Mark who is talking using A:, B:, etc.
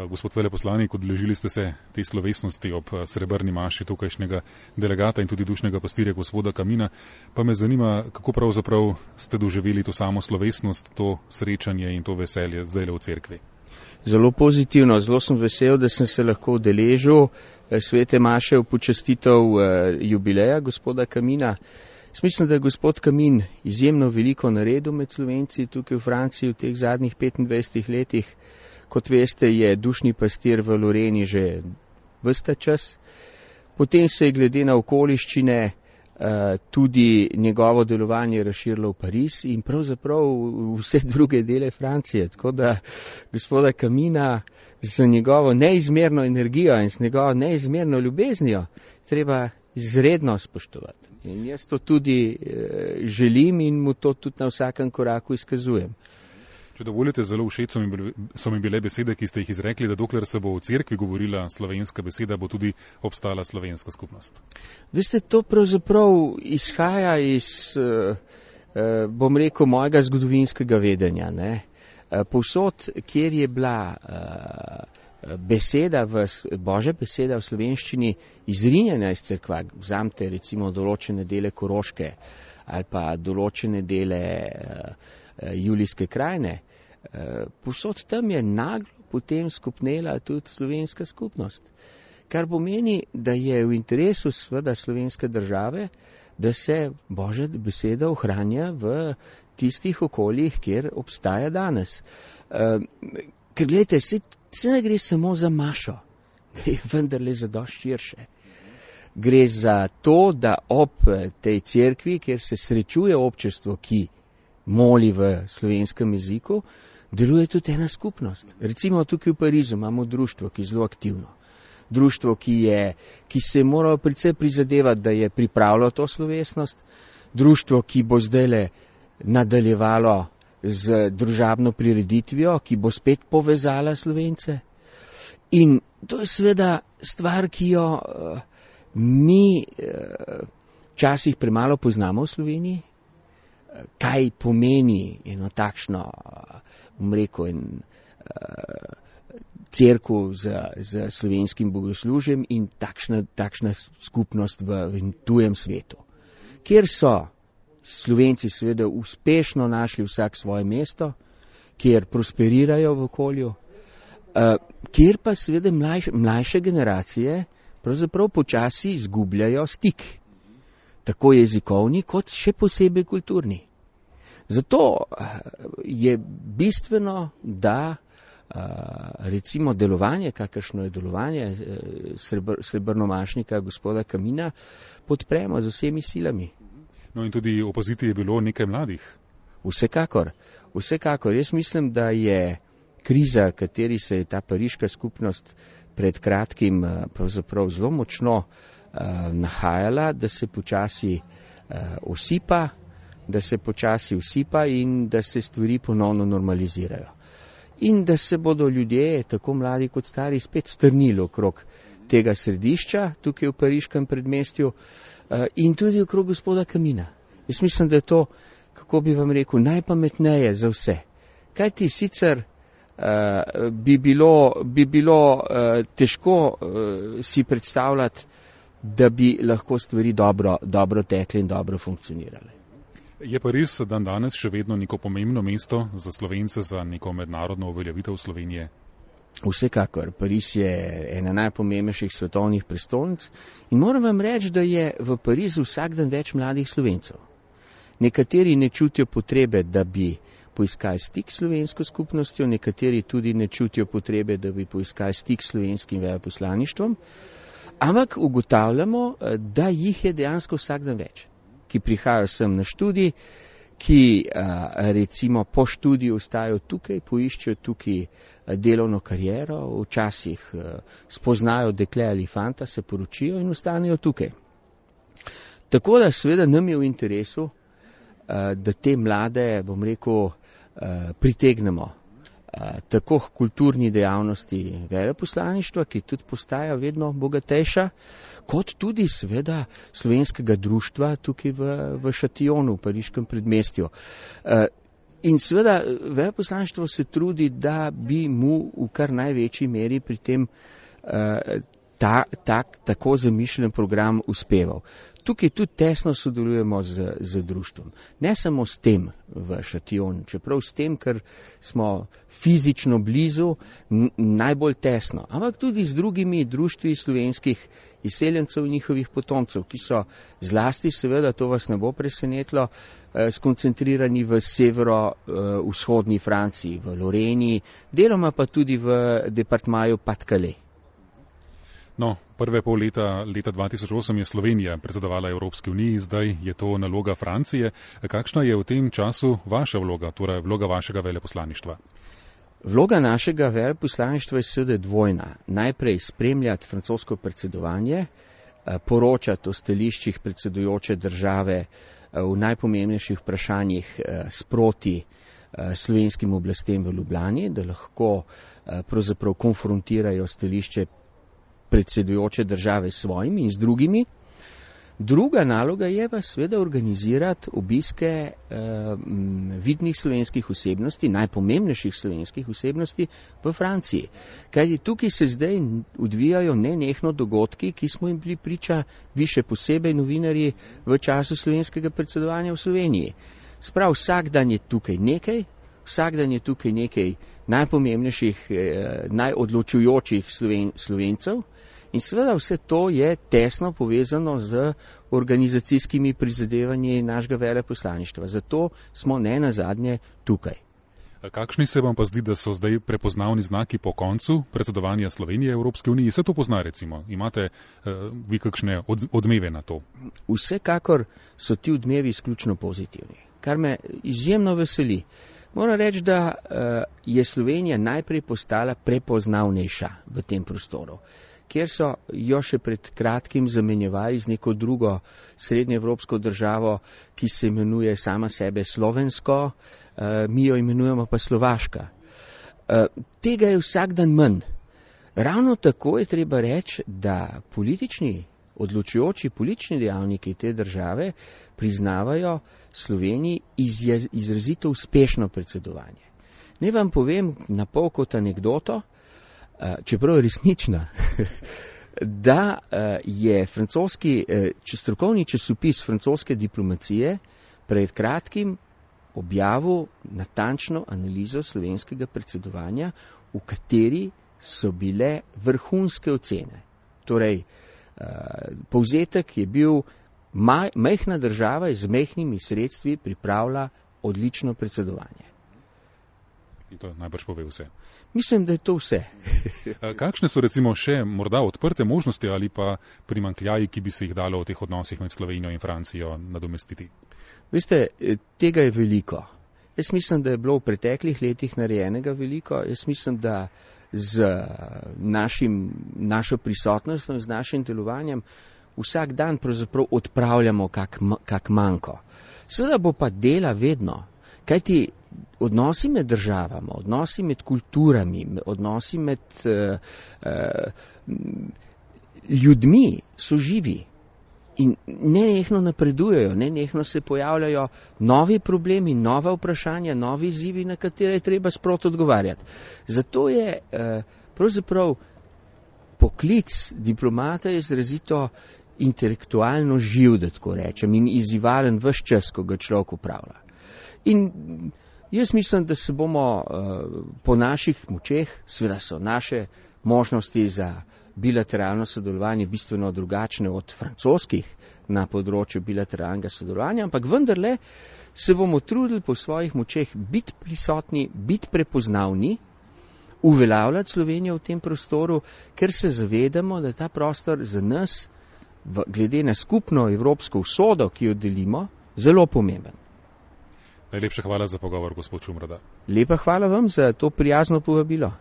A: Gospod veleposlanik, odeležili ste se te slovesnosti ob srebrni maši tukajšnjega delegata in tudi dušnega pastirja gospoda Kamina. Pa me zanima, kako pravzaprav ste doživeli to samo slovesnost, to srečanje in to veselje zdajle v cerkvi.
B: Zelo pozitivno, zelo sem vesel, da sem se lahko udeležil svete maše v počastitev jubileja gospoda Kamina. Mislim, da je gospod Kamin izjemno veliko naredil med Slovenci tukaj v Franciji v teh zadnjih 25 letih. Kot veste, je dušni pastir v Loreni že ves ta čas. Potem se je glede na okoliščine tudi njegovo delovanje razširilo v Pariz in pravzaprav vse druge dele Francije. Tako da gospoda Kamina z njegovo neizmerno energijo in z njegovo neizmerno ljubeznijo treba izredno spoštovati. In jaz to tudi želim in mu to tudi na vsakem koraku izkazujem.
A: Če dovolite, zelo všeč so mi bile besede, ki ste jih izrekli, da dokler se bo v cerkvi govorila slovenska beseda, bo tudi obstala slovenska skupnost.
B: Veste, to pravzaprav izhaja iz, bom rekel, mojega zgodovinskega vedenja. Ne? Povsod, kjer je bila Božja beseda v slovenščini izrinjena iz cerkva, vzamte recimo določene dele Koroške ali pa določene dele Julijske krajine, povsod tam je naglo potem skupnela tudi slovenska skupnost. Kar pomeni, da je v interesu seveda slovenske države, da se Božja beseda ohranja v tistih okoljih, kjer obstaja danes. Ker gledajte, se ne gre samo za mašo, gre vendarle za dosti širše. Gre za to, da ob tej cerkvi, kjer se srečuje občestvo, ki moli v slovenskem jeziku, deluje tudi ena skupnost. Recimo tukaj v Parizu imamo društvo, ki je zelo aktivno. Društvo, ki se je moralo precej prizadevati, da je pripravilo to slovesnost. Društvo, ki bo zdajle nadaljevalo z družabno prireditvijo, ki bo spet povezala Slovence. In to je seveda stvar, ki jo mi včasih premalo poznamo v Sloveniji. Kaj pomeni eno takšno, bom rekel, cerkev z slovenskim bogoslužjem in takšna skupnost v tujem svetu. Kjer so Slovenci seveda uspešno našli vsak svoje mesto, kjer prosperirajo v okolju, kjer pa seveda mlajše generacije pravzaprav počasi izgubljajo stik. Tako jezikovni, kot še posebej kulturni. Zato je bistveno, da recimo delovanje, kakršno je delovanje srebrnomašnika gospoda Kamina, podpremo z vsemi silami.
A: No in tudi opaziti je bilo nekaj mladih.
B: Vsekakor. Jaz mislim, da je kriza, kateri se je ta pariška skupnost pred kratkim pravzaprav zelo močno nahajala, da se počasi usipa in da se stvari ponovno normalizirajo. In da se bodo ljudje, tako mladi kot stari, spet strnili okrog tega središča, tukaj v pariškem predmestju, in tudi okrog gospoda Kamina. Jaz mislim, da je to, kako bi vam rekel, najpametneje za vse. Kajti sicer bi bilo težko si predstavljati, da bi lahko stvari dobro tekle in dobro funkcionirale.
A: Je Pariz danes še vedno neko pomembno mesto za Slovence, za neko mednarodno uveljavitev Slovenije?
B: Vsekakor. Pariz je ena najpomembnejših svetovnih prestolnic in moram vam reči, da je v Parizu vsak dan več mladih Slovencev. Nekateri ne čutijo potrebe, da bi poiskali stik s slovensko skupnostjo, nekateri tudi ne čutijo potrebe, da bi poiskali stik s slovenskim veleposlaništvom, ampak ugotavljamo, da jih je dejansko vsak dan več, ki prihajajo sem na študij, ki recimo po študiju ostajajo tukaj, poiščejo tukaj delovno kariero, včasih spoznajo dekle ali fanta, se poročijo in ostanejo tukaj. Tako da seveda nam je v interesu, da te mlade, bom rekel, pritegnemo tako kulturni dejavnosti veleposlaništva, ki tudi postaja vedno bogatejša, kot tudi seveda slovenskega društva tukaj v Šatijonu, v pariškem predmestju. In seveda veleposlaništvo se trudi, da bi mu v kar največji meri pri tem tako zamišljen program uspeval. Tukaj tudi tesno sodelujemo z društvom. Ne samo s tem v Šatijonu, čeprav s tem, ker smo fizično blizu, najbolj tesno, ampak tudi z drugimi društvi slovenskih izseljencev in njihovih potomcev, ki so zlasti, seveda, to vas ne bo presenetilo, skoncentrirani v severo-vzhodni Franciji, v Loreni, deloma pa tudi v departmaju Pas-de-Calais.
A: No, prve pol leta 2008 je Slovenija predsedovala Evropski uniji, zdaj je to naloga Francije. Kakšna je v tem času vaša vloga, torej vloga vašega veleposlaništva?
B: Vloga našega veleposlaništva je seveda dvojna. Najprej spremljati francosko predsedovanje, poročati o stališčih predsedujoče države v najpomembnejših vprašanjih sproti slovenskim oblastem v Ljubljani, da lahko pravzaprav konfrontirajo stališče predsedujoče države s svojimi in z drugimi. Druga naloga je pa seveda organizirati obiske vidnih slovenskih osebnosti, najpomembnejših slovenskih osebnosti v Franciji. Kajti tukaj se zdaj odvijajo nenehno dogodki, ki smo jim bili priča, vi še posebej novinarji, v času slovenskega predsedovanja v Sloveniji. Sprav vsak dan je tukaj nekaj, vsak dan je tukaj nekaj najpomembnejših, najodločujočih Slovencev. In seveda vse to je tesno povezano z organizacijskimi prizadevanji našega veleposlaništva. Zato smo ne nazadnje tukaj.
A: Kakšni se vam pa zdi, da so zdaj prepoznavni znaki po koncu predsedovanja Slovenije Evropske unije? Se to pozna, recimo? Imate vi kakšne odmeve na to?
B: Vsekakor so ti odmevi izključno pozitivni, kar me izjemno veseli. Moram reči, da je Slovenija najprej postala prepoznavnejša v tem prostoru, kjer so jo še pred kratkim zamenjevali z neko drugo srednjeevropsko državo, ki se imenuje sama sebe Slovensko, mi jo imenujemo pa Slovaška. Tega je vsak dan manj. Ravno tako je treba reči, da odločujoči politični dejavniki te države priznavajo Sloveniji izrazito uspešno predsedovanje. Naj vam povem na pol kot anekdoto, čeprav je resnična, da je francoski strokovni časopis francoske diplomacije pred kratkim objavil natančno analizo slovenskega predsedovanja, v kateri so bile vrhunske ocene. Torej, povzetek je bil, majhna država z majhnimi sredstvi pripravlja odlično predsedovanje.
A: In to najbrž pove vse.
B: Mislim, da je to vse.
A: Kakšne so recimo še morda odprte možnosti ali pa primanjkljaji, ki bi se jih dalo v teh odnosih med Slovenijo in Francijo nadomestiti?
B: Veste, tega je veliko. Jaz mislim, da je bilo v preteklih letih narejenega veliko. Jaz mislim, da z našo prisotnostjo in z našim delovanjem vsak dan pravzaprav odpravljamo kak manko. Seveda bo pa dela vedno, kajti odnosi med državami, odnosi med kulturami, odnosi med ljudmi so živi in nenehno napredujejo, nenehno se pojavljajo novi problemi, nova vprašanja, novi izzivi, na katere je treba sproti odgovarjati. Zato je pravzaprav poklic diplomata izrazito intelektualno živ, da tako rečem, in izzivalen ves čas, ko ga človek upravlja. In jaz mislim, da se bomo po naših močeh, seveda so naše možnosti za bilateralno sodelovanje bistveno drugačne od francoskih na področju bilateralnega sodelovanja, ampak vendarle se bomo trudili po svojih močeh biti prisotni, biti prepoznavni, uveljavljati Slovenijo v tem prostoru, ker se zavedamo, da je ta prostor za nas, glede na skupno evropsko usodo, ki jo delimo, zelo pomemben.
A: Najlepša hvala za pogovor, gospod Čumrada.
B: Lepa hvala vam za to prijazno povabilo.